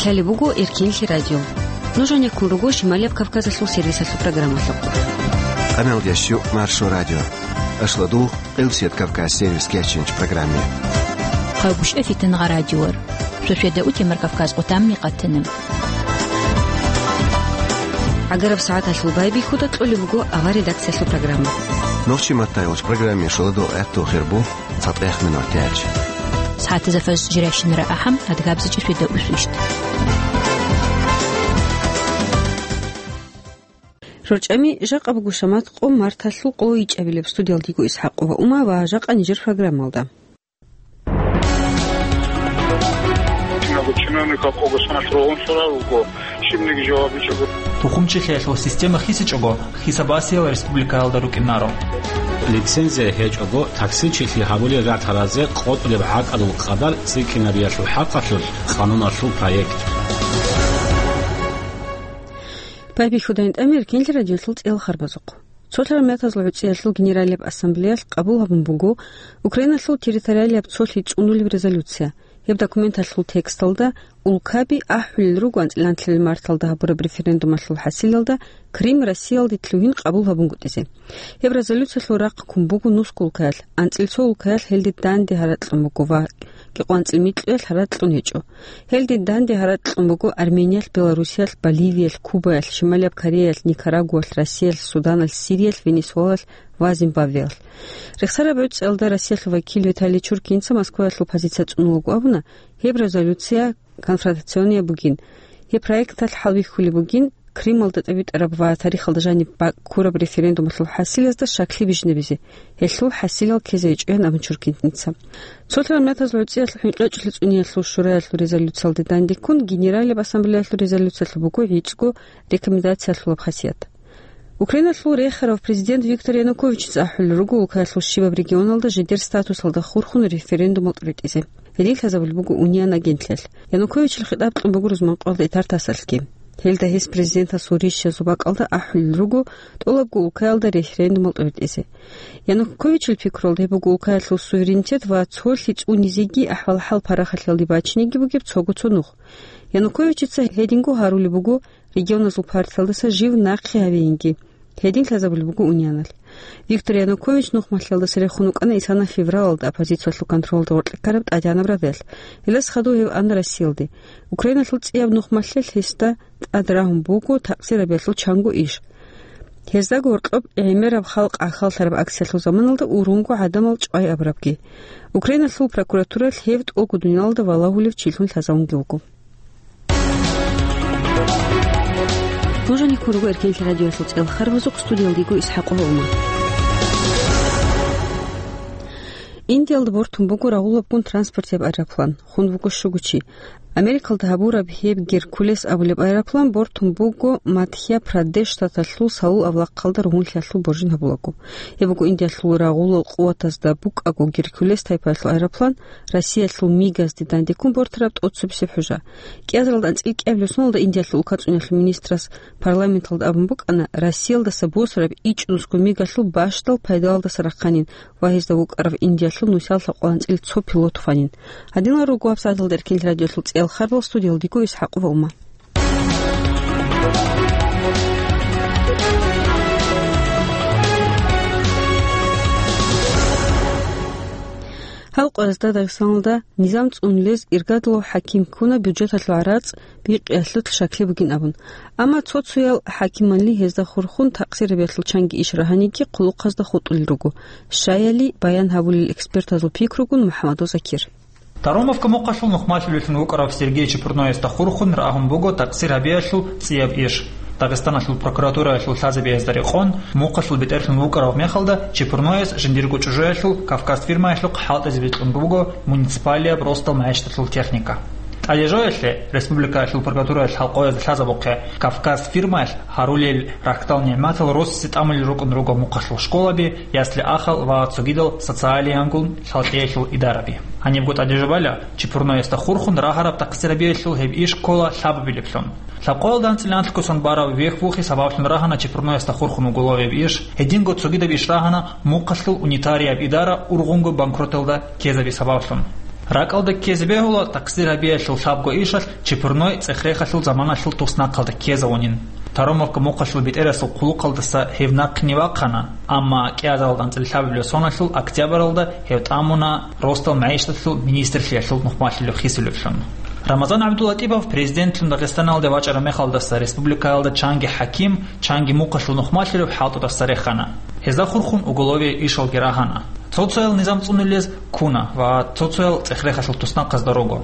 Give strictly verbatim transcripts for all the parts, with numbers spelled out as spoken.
Лъалеб буго Эркенлъи радио. Нуж гьанеккун руго Шималияб Кавказалъул сервисалъул программалъухъ. Къаналдящу Маршо радио. Ашладу Къилсият Кавказ сервис кеченч программе. Хъагушев Фитнагъа радиор. Шошеда утемар Кавказ къутамни къатанам. ГӀагараб сагӀаталъул байбихьуда кьолеб буго авар редакциялъул программа. Нохчи маттайгъуш программе шоладо гӀатту хирбу. ЦатӀехъ минутач. СагӀатазда фаз жирайщинара ахӀам, адгабзичӀеб шведа усвищт. РорчӀами жакъа буго шамат къо марталъул къо ичӀабилеб студиялдиго Исхакъова Ума ва жакъа нижер программалда. Чиновникал къого саналъ рогъун лъурал руго, щибниги жаваб бичӀого. Тухумчилъиялъул система хисичӀого, хисабасиял республикаялда рукӀинаро. Лицензия гьечӀого таксичилъи гьабулел рагӀтаразе къотӀулеб гӀакъалул къадар цӀикӀкӀинариялъул хӀакъалъулъ къануналъул проект. Байбихьудайин тӀамир Эркенлъи радиолъул цӀел харбазухъ. Цолъараб мятазул гӀуцӀиялъул Генералияб ассамблеялъ къабул гьабун буго Украиналъул территориалияб цолъи цӀунулеб резолюция. Гьеб документалъул тексталда улкаби ахӀулел руго анцӀила нилъерал марталда гьабураб референдумалъул хӀасилалда Крым Россиялде лъугьин къабул гьабунгутӀизе. Гьеб резолюциялъул рахъ ккун буго нусго улкаялъ, анцӀила цо улкаялъ гьелде данде гьаракь кьун буго ва кӀикъоялда анцӀила микьуялъ гьаракь кьун гьечӀо. Гьелде данде гьаракь кьун буго Армениялъ, Белоруссиялъ, Боливиялъ, Кубаялъ, Шималияб Кореяялъ, Никарагуаялъ, Россиялъ, Суданалъ, Сириялъ, Венесуэлаялъ ва Зимбабвеялъ. Рехсараб гӀуцӀиялда Россиялъул вакил Виталий Чуркинца Москваялъул позиция цӀунулаго абуна, гьеб резолюция конфронтационная бугин. Гьеб проекталъ хӀалбихьулеб бугин Крымалда тӀибитӀараб ва тарихалда жаниб баккураб референдумалъул хӀасилазда щаклъи бижнабизе, гьелъул хӀасилал ккезе гьечӀоян абун Чуркинца. Цолъараб мятазул гӀуцӀиялъул хӀинкъичӀлъи цӀуниялъул шураялъул резолюциялде дандеккун Генералияб ассамблеялъул резолюциялъул буго гӀицӀго рекомендациялъулаб хасият. Украиналъул рехарав президент Виктор Януковичица ахӀулел руго улкаялъул щибаб регионалда жидер статусалда хурхун референдумал тӀуритӀизе. Гьедин лъазабулеб буго Униан агентлъиялъ. Януковичил хитӀаб кьун буго рузманкъоялда итартасалъги. Гьелда гьес президентасул ришшазул бакӀалда ахӀулел руго тӀолабго улкаялда референдумал тӀуритӀизе. Януковичил пикруялда гьеб буго улкаялъул суверенитет ва цолъи цӀунизеги ахӀвал-хӀал парахалъиялде бачинеги бугеб цого цо нух. Януковичица гьединго гьарулеб буго регионазул партиялдаса жив нахъе гьавейинги. Гьедин лъазабулеб буго Унианалъ. Виктор Янукович нухмалъиялдаса рехун вукӀана исана февралалда оппозициялъул контролалда гъоркье ккараб тӀадегӀанаб рагъиялъ. Гьелдаса хадув гьев ана Россиялде. Украиналъул цӀияб нухмалъе гьесда тӀад рагьун буго такъсирабиялъул чанго иш. Гьездаго гьоркьоб гӀемераб халкъ гӀахьаллъараб акциялъул заманалда ургъунго гӀадамал чӀвай абурабги. Украиналъул прокуратураялъ гьев тӀолго дуниялалда валагьулев чилъун лъазавунги вуго. Нуж гьанеккун руго Эркенлъи радиоялъул цӀел харбазухъ, студиялдиго Исхакъова Ума. Индиялда бортун буго рагъулабгун транспортияб аэроплан. Хун буго щуго чи. Америкалда гьабураб гьеб Геркулес абулеб аэроплан бортун буго Мадхья-Прадеш штаталъул Салул авлахъалда ругьунлъиялъул боржин гьабулаго. Гьеб буго Индиялъул рагъулал къуватазда букӀаго Геркулес тайпаялъул аэроплан, Россиялъул МиГазде дандеккун бортараб тӀоцебесеб хӀужа. КӀиазаралда анцӀила кӀиабилеб соналда Индиялъул улкацӀунялъул министрас парламенталда абун букӀана, Россиялдаса босараб ичӀнусго МиГалъул бащдал пайдалалдаса рахъанин ва гьезда вукӀарав Индиялъул нусиялда лъабкъоялда анцӀила цо пилот хванин. Гьадинал руго гьабсагӀаталда Эркенлъи радиоялъул цӀел харбал, студиялдиго Исхакъова Ума. Гьал къоязда Дагъистаналда низам цӀунулез иргадулав хӀаким ккуна бюджеталъул гӀарацӀ бикъиялъулъ щаклъи бугин абун. Амма цо-цоял хӀакималли гьезда хурхун такъсирабиялъул чанги иш рагьаниги хъулухъазда хутӀулел руго, щаяли баян гьабулел экспертазул пикругун МухӀаммадов Закир. Таромовка мухъалъул нухмалъулелъун вукӀарав Сергей Чепурноесда хурхун рагьун буго такъсир гьабиялъул цӀияб иш. Дагъистаналъул прокуратураялъул лъазабиязда рекъон, мухъалъул бетӀерлъун вукӀарав мехалда Чепурноес жиндирго чӀужуялъул Кавказ фирмаялъухъ хӀалтӀизе бикьун буго муниципалияб росдал магӀишаталъул техника. ТӀадежоялъе, республикаялъул прокуратураялъ хӀалкъоязда лъазабухъе, Кавказ фирмаялъ гьарулел рахьдал нигӀматал росизе тӀамулел рукӀун руго мухъалъул школаби, ясли-ахал ва цогидал социалиянгун лъалкӀиялъул идараби. Гьанибго ТӀадежобала Чепурноесда хурхун рагьараб такъсирабиялъул гьеб иш ккола лъабабилеблъун. Лъабкъоялда анцӀила анлъго сон барав вехь-вухи сабаблъун рагьана Чепурноесда хурхун вуголев иш, гьединго цогидаб иш рагьана мухъалъул унитарияб идара ургъунго банкроталда ккезаби сабаблъун. РакӀалда ккезе бегьула такъсир гьабиялъул лъабго ишалъ Чепурной цӀех-рехалъул заманалъул туснахъалда ккезавунин. Таромовка мухъалъул бетӀерасул хъулухъалдаса гьев нахъе вахъана, амма кӀиазаралда анцӀила лъабабилеб соналъул октябралда гьев тӀамуна росдал магӀишаталъул министрлъиялъул нухмалъулев хисулевлъун. Рамазан ГӀабдуллатӀипов президентлъун Дагъистаналде вачӀараб мехалдаса республикаялда чанги хӀаким, чанги мухъалъул нухмалъулев хӀалтӀудаса рехана. Гьезда хурхун уголовие ишалги рагьана. Цо-цоял низам цӀунулез ккуна ва цо-цоял цӀех-рехалъул туснахъазда руго.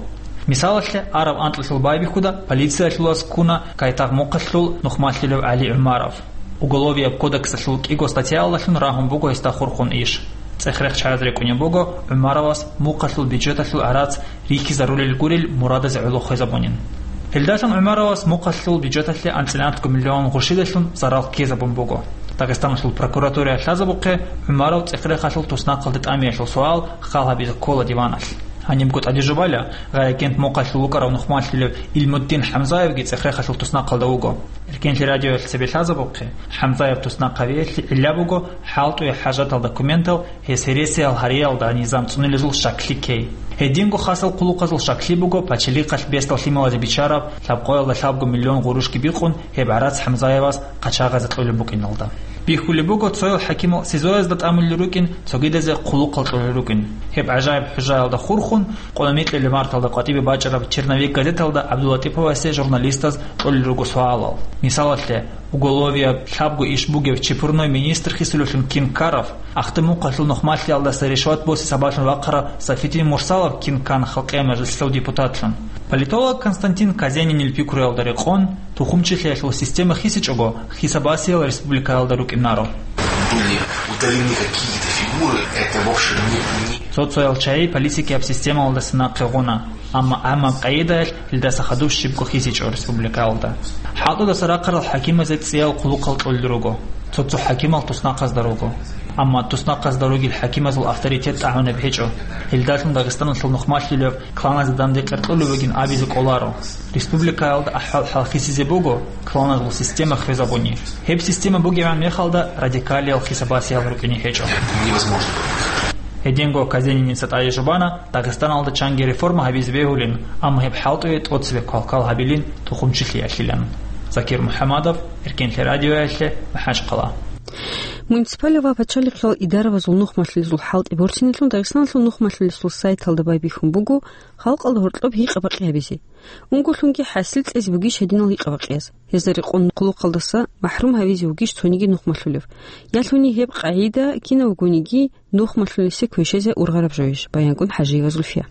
Мисалалъе, араб анкьалъул байбихьуда полициялъулаз ккуна Кайтагъ мухъалъул нухмалъулев ГӀали ГӀумаров. Уголовияб кодексалъул кӀиго статьяялдалъун рагьун буго гьесда хурхун иш. ЦӀех-рех чагӀаз рекӀунеб буго ГӀумаровас мухъалъул бюджеталъул гӀарац рихьизарулел гурел мурадазе гӀоло хвезабунин. Гьелдалъун ГӀумаровас мухъалъул бюджеталъе анцӀила анлъго миллион гъурщидалъун зарал ккезабун буго. Дагъистаналъул прокуратурая лъазабухъе ГӀумаров цӀех-рехалъул туснахъалде тӀамиялъул суал хал гьабизе ккола диваналъ. Гьанибго тӀаде жубала, гъай агент мухъалъул вукӀарав нухмалъулев Илмуддин ХӀамзаевги цӀех-рехалъул туснахъалда вуго. Эркенлъи радиоялъ цебе лъазабухъе, ХӀамзаев туснахъ гьавиялъе гӀилла буго хӀалтӀуе хӀажатал документал гьес гьересиял гьариялда низам цӀунилезул щаклъи ккей. Гьединго хасал хъулухъазул щаклъи буго пачалихъалъ бесдал лъималазе биччараб лъабкъоялда лъабго миллион гъурущги бикъун гьеб гӀарац ХӀамзаевас къачагъазе кьолеб букӀиналда. Бихьулеб буго, цоял хӀакимал СИЗО-язда тӀамулел рукӀин, цогидазе хъулухъал кьолел рукӀин. Гьеб гӀажаиб хӀужаялда хурхун, къо-, микьилаб марталда къватӀибе бачӀараб «Черновик» газеталда ГӀабдуллатӀиповасе журналистаз кьолел руго суалал. Мисалалъе, уголовияб лъабго иш бугев Чепурной министр хисулевлъун кин ккарав, Ахтамухъалъул нухмалъиялдаса ришват босе сабаблъун вахъарав Сафитин Мурсалов кин ккана Халкъиял мажлислъул депутатлъун. Политолог Константин Казенинил пикруялда рекъон, тухумчилъиялъул система хисичӀого, хисабасиял республикаялда рукӀинаро. Были удалены какие-то фигуры, это, в общем, не, не Цо-цоял чагӀи политикияб системалдаса нахъе гъуна, амма гӀаммаб къагӀидаялъ гьелдаса хадуб щибго хисичӀо республикаялда. ХӀалтӀудаса рахъарал хӀакимазе цӀиял хъулухъал кьолел руго, цо-цо хӀакимал туснахъазда руго. Амма туснахъазда ругел хӀакимазул авторитет тӀагӀунеб гьечӀо. Гьелдалъун Дагъистаналъул нухмалъулев кланазе данде къеркьулев вугин абизе кӀоларо. Республикаялда ахӀвал-хӀал хисизе буго, кланазул система хвезабуни. Гьеб система бугебгӀан мехалда радикалиял хисабасиял рукӀине гьечӀо. Невозможно. Гьединго Казениница тӀаде жубана Дагъистаналда чанги реформа гьабизе бегьулин, амма гьеб хӀалтӀуе тӀоцебе квалквал гьабилин тухумчилъиялъилан. Закир МухӀамадов, Эркенлъи радиоялъе, МахӀачхъала. Муниципалиял ва пачалихъал идарабазул нухмалъулезул хӀалтӀи борцинилъун Дагъистаналъул нухмалъулесул сайталда байбихьун буго халкъалда гьоркьоб гьикъа-бакъи гьабизе. Унголъунги хӀасил кьезе бугищ гьединал гьикъа-бакъиялъ? Гьезда рекъон хъулухъалдаса махӀрум гьавизе вугищ цониги нухмалъулев? Ялъуни гьеб къагӀида кинавгониги нухмалъулесе квешезе ургъараб жойищ? Баянкъун ХӀажиева Зульфия.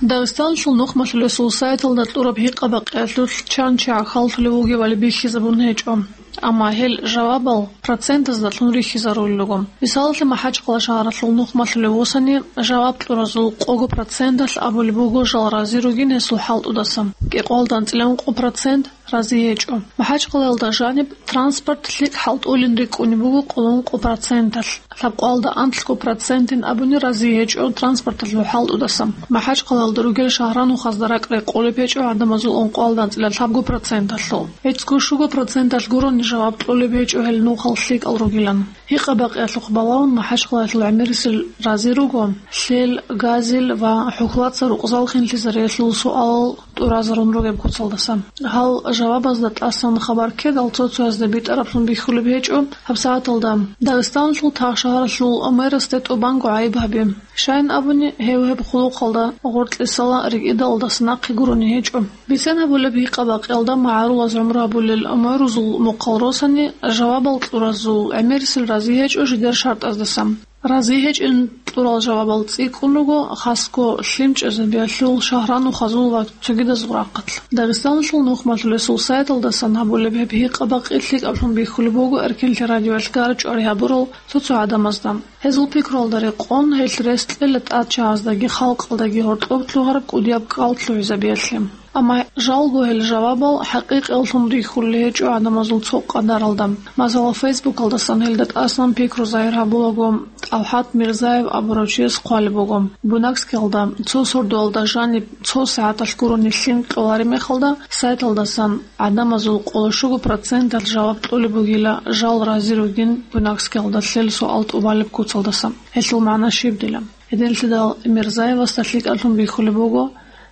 Дагъистаналъул нухмалъулесул сайталда кьураб гьикъа-бакъиялъулъ чан чагӀ хӀалтӀулев вугевали бихьизабун гьечӀо. Амма гьел жавабал процентаздалъун рихьизарулел руго. Мисалалъе, МахӀачхъала шагьаралъул нухмалъулев вусани, жаваб кьуразул къого проценталъ абулеб буго жал рази ругин гьесул хӀалтӀудаса. КӀикъоялда анцӀила ункъо процент рази гьечӀо. МахӀачхъалаялда жаниб транспорт лъикӀ хӀалтӀулин рикӀкӀунеб буго къоло ункъо проценталъ. Лъабкъоялда анлъго процентин абуни рази гьечӀо транспорталъул хӀалтӀудаса. МахӀачхъалаялда ругел шагьранухазда ракӀ рекъолеб гьечӀо гӀадамазул ункъоялда анцӀила лъабго проценталъул. ГӀицӀго-щуго проценталъ гурони жаваб кьолеб гьечӀо гьел нухал лъикӀал ругилан. Гьикъа-бакъиялъухъ балагьун, МахӀачхъалаялъул гӀемерисел рази руго, лъел, газил ва хӀухьлаца рукъзал хинлъизариялъул суалал тӀуразарун ругеб куцалдаса. Гьал жавабазда тӀасан хабар ккедал цо-цоязда битӀараблъун бихьулеб гьечӀо гьабсагӀаталда Дагъистаналъул тагъ шагьаралъул мэрасде тӀубанго гӀайиб гьаби. Щайин абуни, гьев гьеб хъулухъалда гъоркьисала рикӀкӀадалдаса нахъе гурони гьечӀо. Бицен гьабулеб гьикъа-бакъиялда магӀарулаз гӀумру гьабулел гӀумерузул мухъал росани, жавабал кьуразул гӀемерисел рази гьечӀо жидер шартӀаздаса. Рази гьечӀин кьурал жавабал цӀикӀкӀун руго хасго лъим чӀезабиялъул, шагьранухазул ва цогидазул рахъалъ. Дагъистаналъул нухмалъулесул сайталдасан гьабулеб гьеб гьикъа-бакъи лъикӀаблъун бихьулеб буго Эркенлъи радиоялъ гар-чӀвари гьабурал цо-цо гӀадамазда. Гьезул пикруялда рекъон, гьелъ рес кьела тӀад чагӀаздаги халкъалдаги гьоркьоб лъугьараб кӀудияб кӀал лъугӀизабиялъе. Амма жалго гьел жавабал хӀакъикъияллъун рихьулел гьечӀо гӀадамазул цо къадаралда. Масала, Фейсбукалдасан гьелда тӀасан пикру загьир гьабулаго, ТӀалхӀат Мирзаев абурав чияс хъвалеб буго, Буйнакскиялда цо сордоялда жаниб цо сагӀаталъ гурони лъим кьолареб мехалда, сайталдасан гӀадамазул къолошуго проценталъ жаваб кьолеб бугила жал рази ругин Буйнакскиялда лъел суал тӀубалеб куцалдаса. Гьелъул магӀна щиб дила? Гьединлъидал Мирзаевасда лъикӀаблъун бихьулеб буго,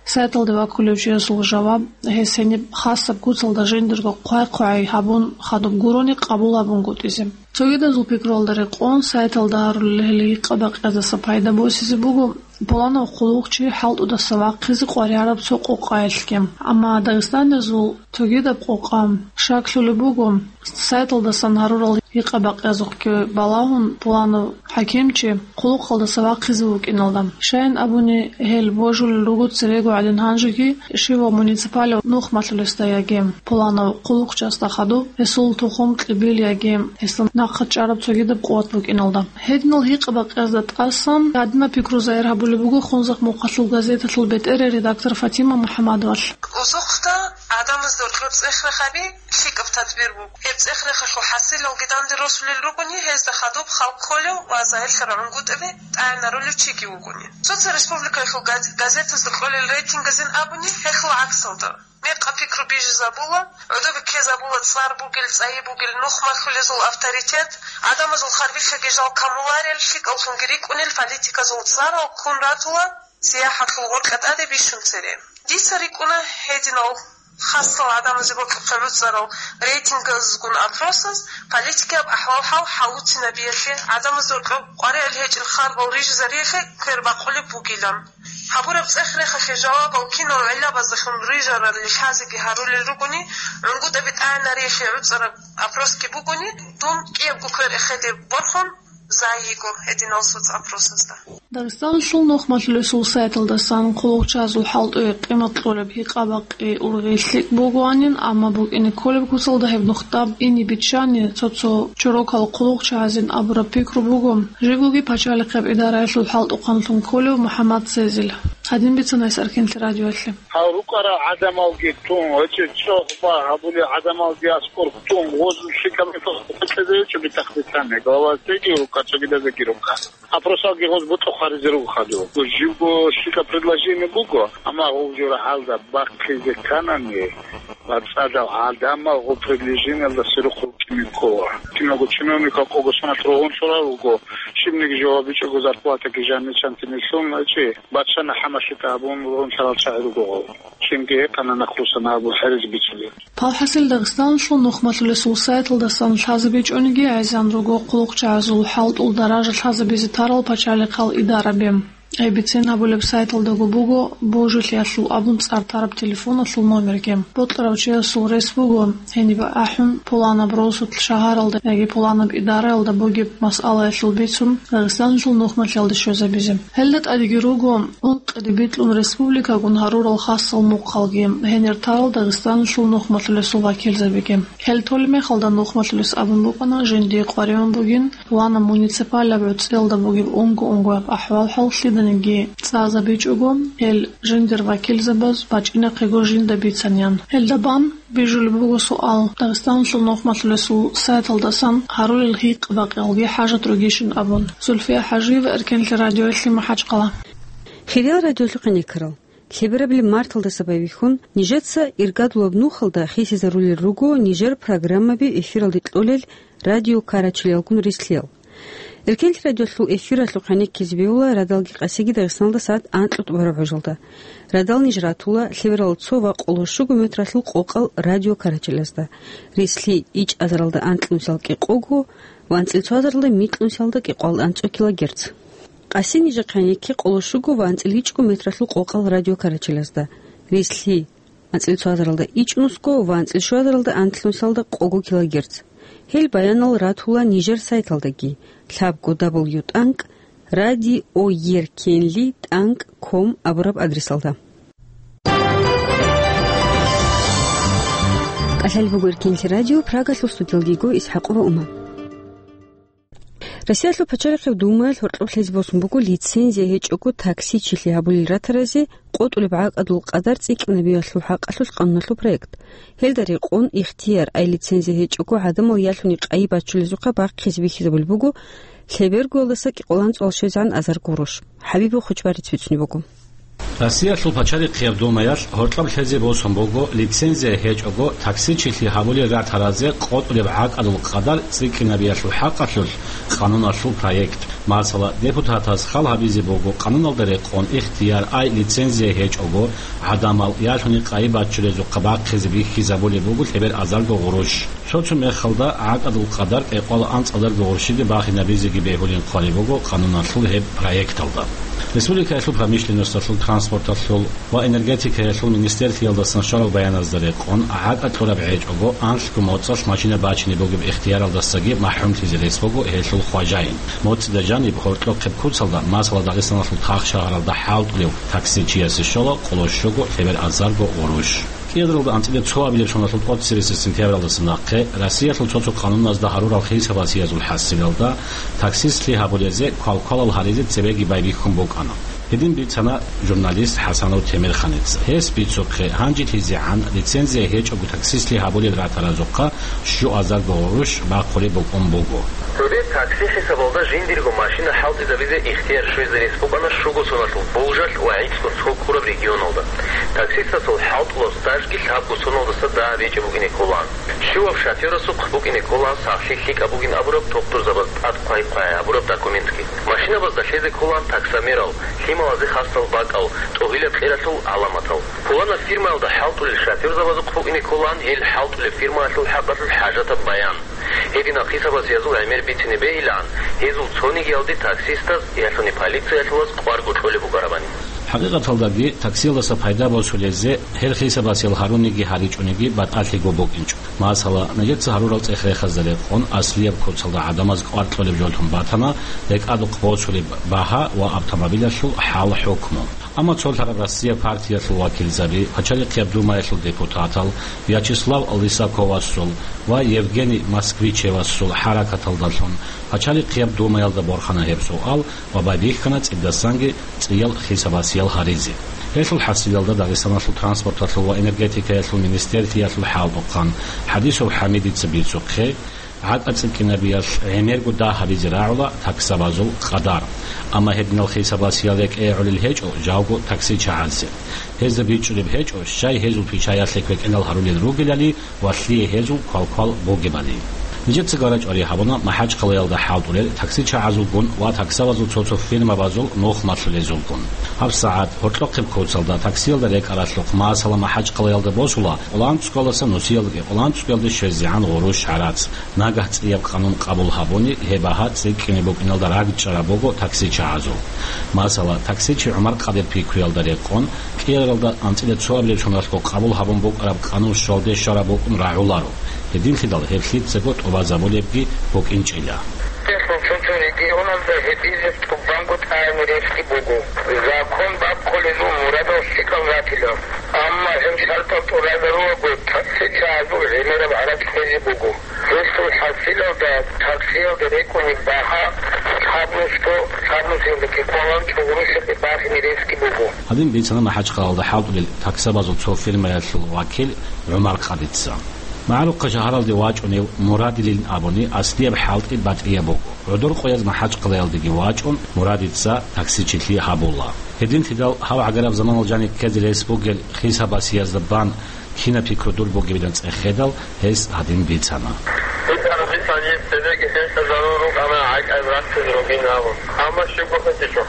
сайталде ваккулев чиясул жаваб, гьес гьениб хасаб куцалда жиндирго хъвай-хъвай гьабун хадуб гурони къабул гьабунгутӀизе. Цогидазул пикруялда рекъон сайталда гьарулел гьеле гьикъа-бакъиязаса пайда босизе буго пуланав хъулухъчи хӀалтӀудаса вахъизе къваригӀараб цо къокъаялъги. Амма дагъистаниязул цогидаб къокъа щаклъулеб буго, сайталдасан гьарурал гьикъа-бакъиязухъги балагьун, пуланав хӀакимчи хъулухъалдаса вахъизе вукӀиналда. Щайин абуни, гьел божулел руго церего гӀадин гьанжеги щивав муниципалив нухмалъулесда яги пуланав хъулухъчасда хадуб, гьесул тухум-кьибил яги гьесда нахъа чӀараб цогидаб къуват букӀиналда. Гьединал гьикъа-бакъиязда тӀасан гьадинаб пикру загьир гьабулеб буго Хунзахъ мухъалъул газеталъул бетӀерей редактор Фатима МухӀаммадовалъ. Узухъда гӀадамазда гьоркьоб цӀех-рех гьаби, лъикӀаб тадбир буго. Гьеб цӀех-рехалъул хӀасилалги данде росулел ругони, гьезда хадуб халкъ кколев ва загьирлъарал гӀунгутӀаби тӀагӀинарулев чиги вугони. Цо-цо республикаялъул газ-, газетазда кьолел рейтингазин абуни, гьелъул гӀаксалда. Мекъа пикру бижизабула, гӀодобе ккезабула цӀар бугел, цӀайи бугел, нухмалъулезул авторитет, гӀадамазул харбилъаги жал камуларел, лъикӀаллъунги рикӀкӀунел политиказул цӀарал ккун ратула, сияхӀатлъул гъоркьа тӀаде бищун цере. Дица рикӀкӀуна гьединал хасал гӀадамазе бокьухъе гӀуцӀарал рейтингазгун опросаз, политикияб ахӀвал-хӀал хӀалуцинабиялъе, гӀадамазда гьоркьоб къваригӀел гьечӀел харбал рижизариялъе квер бакъулеб бугилан. Гьабураб цӀех-рехалъе жавабал кинал гӀиллабаздалъун рижарали лъазеги гьарулел ругони, гӀунгутӀаби тӀагӀинариялъе гӀуцӀараб опросги бугони, дун кӀиябго квер эхеде борхун, Зайиго гьединал соцопросазда. Дагъистаналъул нухмалъулесул сайталдасан хъулухъчазул хӀалтӀуе къимат кьолеб гьикъа-бакъи ургъи лъикӀ бугоанин, амма букӀине кколеб куцалда гьеб нухда ине биччани, цо-цо чорокал хъулухъчагӀазин абураб пикру буго живгоги пачалихъеб идараялъул хӀалтӀухъанлъун кколев МухӀаммад Сезил. Гьадин бицана гьес Эркенлъи радиоялъе. Гьав рукӀарал гӀадамалги тун, гьечӀеб цӀохӀба гьабулел гӀадамалги аскӀор тун, гъозул лъикӀаб мехалъ хутӀезе гьечӀо битахъ бицани, главасеги рукӀа, цогидазеги рукӀа. Опросалги гъоз бутӀа хъваризе руго хадур. Живго лъикӀаб предложение буго, амма гъов жо рагӀалда бахъизе кканани, ва цӀадал гӀадамал гъо предложениялда сверухъ рукӀине ккола. Киналго чиновникал къого санат ругьун лъурал руго, щибниги жаваб бичӀого зарплатаги жанничанти нилъун, гьечӀи, бачана хӀамалъи тӀабун ругьун лъарал чагӀи руго гъов. Чинги гьекъана нахърусан абу хӀерез бицули. Палхасил Дагъистаналъул нухмалъулесул сайталдасан лъазабичӀониги гӀезан руго хъулухъчагӀазул хӀалтӀул даража лъазабизе тарал пачалихъал идараби. Гьеб бицен гьабулеб сайталдаго буго божилъиялъул абун цӀар тараб телефоналъул номерги. Бокьарав чиясул рес буго гьениб ахӀун, пуланаб росулъ шагьаралда яги пуланаб идараялда бугеб масъалаялъул бицун Дагъистаналъул нухмалъиялде щвезабизе. Гьелда тӀадеги руго ункъ къиде бикьун республикагун гьарурал хасал мухъалги, гьенир тарал Дагъистаналъул нухмалъулесул вакилзабиги. Гьел толеб мехалда нухмалъулес абун букӀана жиндие къваригӀун бугин, пуланаб муниципалаб гӀуцӀиялда бугеб унго-унгояб ахӀвал-хӀал лъиданиги цӀалзабичӀого, гьел жиндир вакилзабаз бачӀинахъего жинда бицаниян. Гьелда бан бижулеб буго суал: Дагъистаналъул нухмалъулесул сайталдасан гьарулел гьикъ-бакъиялги хӀажат ругищин абун. Зульфия ХӀажиева, Эркенлъи радиоялъе, МахӀачхъала. Хириял радиолъухъ гӀенеккарал. Лъеберабилеб марталдаса байбихьун, нижеца иргадулаб нухалда хисизарулел руго нижер программаби эфиралде кьолел радио карачелиялгун рислъел. Эркенлъи радиолъул эфиралъухъ гӀенеккизе бегьула радалги къасиги Дагъисталда сагӀат анкьго тӀубараб гӀужалда. Радал ниж ратула лъеберал цо ва къоло щуго метралъул къокъал радио карачелазда. Рислъи ичӀазаралда анкьнусиялда кӀикъого ва анцӀил цоазаралда микьнусиялда кӀикъоялда анцӀго килогерц. Къаси нижехъе гӀенекке къоло щуго ва анцӀил ичӀго метралъул къокъал радио карачелазда. Рислъи анцӀил цоазаралда ичӀнусго ва анцӀил щуазаралда анкьнусиялда къого килогерц. Гьел баянал ратула нижер сайталдаги, лъабго дабл ю тӀанкӀ радиоеркенлъи тӀанкӀ ком абураб адресалда. КӀалъалеб буго Эркенлъи радио, Прагалъул студиялда йиго ИсхӀакъова Ума. Россиялъул пачалихъеб Думаялъ гьоркьоб лъезе босун буго лицензия гьечӀого такси чилъи гьабулел ратаразе къотӀулеб гӀакъадул къадар цӀикӀкӀинабиялъул хӀакъалъулъ къануналъул проект. Гьелда рекъон ихтияр, ай лицензия гьечӀого гӀадамал ялъуни къайи бачулезухъа бахъизе бихьизабулеб буго Лъебергоялдаса кӀикъоялда анцӀго щвезегӀан азарго гъурущ. ХӀабибов Хочбар рицбицунеб буго. Россиялъул пачалихъияб Думаялъ гьоркьоб лъезе босун буго, лицензия гьечӀого таксичилъи гьабулел ратаразе къотӀулеб гӀакъадул къадар цӀикӀкӀинабиялъул хӀакъалъулъ къануналъул проект. Масала, депутатас хал гьабизе буго къануналда рекъон ихтияр ай лицензия гьечӀого гӀадамал ялъуни къайи баччулезухъа бахъизе бихьизабулеб буго лъебер азарго гъурущ. Цо-цо мехалда гӀакъадул къадар кӀикъоялда анцӀазарго гъурщиде бахинабизеги бегьулин хъвалеб буго къануналъул гьеб проекталда. Республикаялъул промышленносталъул, транспорталъул ва энергетикаялъул министерствоялдасан щварал баяназда рекъон, гӀакъа кьураб гьечӀого анлъго моцӀалъ машина бачине бугеб ихтияралдасаги махӀрумлъизе рес буго гьелъул хважаин. МоцӀида жаниб гьоркьохъеб куцалда, масала, Дагъистаналъул Тах шагьаралда хӀалтӀулев такси чиясе щола къоло щуго лъебер азарго гъурущ. КӀиабилеб анцӀила цоабилеб соналъул тӀоцебесеб сентябралдаса нахъе Россиялъул цо-цо къануназда гьарурал хисабасиязул хӀасилалда таксилъи гьабулезе квалквалал гьаризе цебеги байбихьун букӀана. Гьедин бицана журналист ХӀасанов Темирханица. Гьес бицухъе, гьанжелъизегӀан лицензия гьечӀого таксилъи гьабулел ратаразухъа щуазарго гъурущ бахъулеб букӀун буго. Цебе такси хисабалда жиндирго машина хӀалтӀизабизе ихтияр щвезе рес букӀана щуго соналъул болжалъ ва гӀицӀго цо ккураб регионалда. Таксистасул хӀалтӀулаб стажги лъабго соналдаса дагьаб гьечӀеб букӀине кколаан. Щивав шофёрасухъ букӀине кколаан сахлъи лъикӀаб бугин абураб тухтурзабаз тӀад хъвай-хъвай гьабураб документги. Машинабазда лъезе кколаан таксомерал, лъималазе хасал бакӀал, тӀогьилаб кьералъул гӀаламатал. Пуланаб фирмаялда хӀалтӀулел шофёрзабазухъ букӀине кколаан гьел хӀалтӀулеб фирмаялъул хӀакъалъулъ хӀажатаб баян. Гьединал хисабасиязул гӀемер бицине бегьилаан, гьезул цонигиялде таксистаз, ялъуни полициялъулаз къварго кьолеб букӀарабани. ХӀакъикъаталдаги, таксиялдаса пайда босулезе гьел хисабасиял гьаруниги гьаричӀониги батӀалъиго букӀинчӀо. Масала, нижеца гьарурал цӀех-рехазда рекъон, аслияб куцалда гӀадамаз кӀвар кьолеб жоллъун батана рекӀадухъ босулеб багьа ва автомобилялъул хӀал-хӀукму. Амма цолъараб Россия партиялъул вакилзаби, пачалихъияб Думаялъул депутатал Вячеслав Лысаковасул ва Евгений Москвичевасул хӀаракаталдалъун пачалихъияб Думаялда борхана гьеб суал ва байбихьана цӀидасанги цӀиял хисабасиял гьаризе. Гьелъул хӀасилалда Дагъистаналъул транспорталъул ва энергетикаялъул министерствоялъул хӀалтӀухъан ХӀадисов ХӀамидица бицухъе, гӀакъа цӀикӀкӀинабиялъ гӀемерго дагь гьабизе рагӀула таксабазул къадар. Амма гьединал хисабасиял рекӀее гӀолел гьечӀо жавго таксичагӀазе. Гьезда бичӀчӀулеб гьечӀо, щай гьезул пишаялъе квекӀинал гьарулел ругелали ва лъие гьезул квалквал бугебали. Нижецаго рачӀвари гьабуна МахӀачхъалаялда хӀалтӀулел таксичагӀазулгун ва таксабазул цо-цо фирмабазул нух малъулезулгун. ГьабсагӀат гьоркьохъеб куцалда таксиялда рекӀаралъухъ, масала, МахӀачхъалаялда босула кӀикъоялда анцӀгоялдаса нусиялда кӀикъоялда анцӀгоялде щвезегӀан гъурущ гӀарац. Нагагь цӀияб къанун къабул гьабуни, гьеб багьа цӀикӀкӀине букӀиналда рагчӀараб буго таксичагӀазул. Масала, таксичи ГӀумар-Къадир пикруялда рекъон, кӀиабилеб анцӀила цоабилеб соналъго къабул гьабун букӀараб къанун щолде щвараб букӀун рагӀуларо. Гьединлъидал гьеб лъицаго тӀубазабулебги букӀинчӀила. Цо-цо регионалда гьеб тӀубанго тӀагӀине ресги буго. Закон бахъулезул мурадал лъикӀал ратила. Амма гьеб шартӀал тӀуразарулаго таксичагӀазул гӀемераб гӀарац кьезе буго. Гьелъул хӀасилалда таксиялда рекӀунеб багьа лъабнусго, лъабнусиялда кӀикъоялда анцӀго гъурущалде бахине ресги буго. Гьадин бицана МахӀачхъалаялда хӀалтӀулел таксабазул цо фирмаялъул вакил ГӀумар-Къадица. МагӀарухъа шагьаралде вачӀунев Мурадилин абуни аслияб хӀалтӀи батӀияб буго. ГӀодор къояз МахӀачхъалаялдеги вачӀун, Мурадица таксичилъи гьабула. Гьединлъидал гьав гӀагараб заманалъ жаниб ккезе рес бугел хисабасиязда бан кинаб пикру дур бугебилан цӀехедал, гьес гьадин бицана. БитӀараб бицани, цебеги хӀинкъизарун рукӀана гӀайкӀай рахъизе ругин абун. Амма щибго хӀинкъичӀо.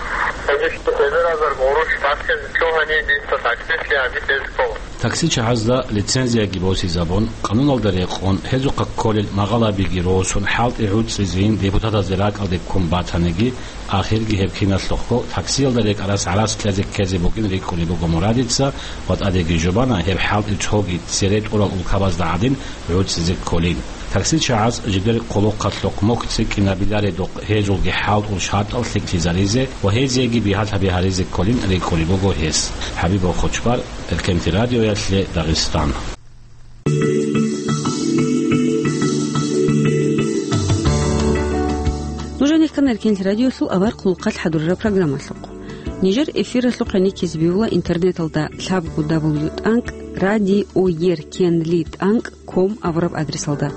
Гьаниб цебе азар гъурущ бахъизе лъугьани, дица таксилъи гьаби тез ккола. ТаксичагӀазда лицензияги босизабун, къануналда рекъон, гьезухъа кколел магъалабиги росун, хӀалтӀи гӀуцӀизейин депутатазде ракӀалде ккун батаниги, ахирги гьеб киналъухъго таксиялда рекӀарас гӀарац кьезе ккезе букӀин рикӀкӀунеб буго Мурадица ва тӀадеги жубана гьеб хӀалтӀи цоги цере тӀурал улкабазда гӀадин гӀуцӀизе кколин. ТаксичагӀаз жидер хъулухъалъухъ мухь цӀикӀкӀинабиларедухъ гьезулги хӀалтӀул шартӀал лъикӀлъизаризе ва гьезиеги бигьалъаби гьаризе кколин рикӀкӀунеб буго гьес. ХӀабибов Хочбар, Эркенти радиоялъе, Дагъистан. Нуж гьанихъан Эркенти радиолъул авар хъулухъалъ хӀадурараб программалъухъ. Нижер эфиралъухъ гьанизе бегьула интернеталда лъабго дабл ю тӀанкӀ радиоеркенли тӀанкӀ ком абураб адресалда.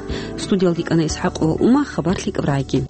Студиялда йикӀана ИсхӀакъова Ума, хабар лъикӀаб рагӀиги.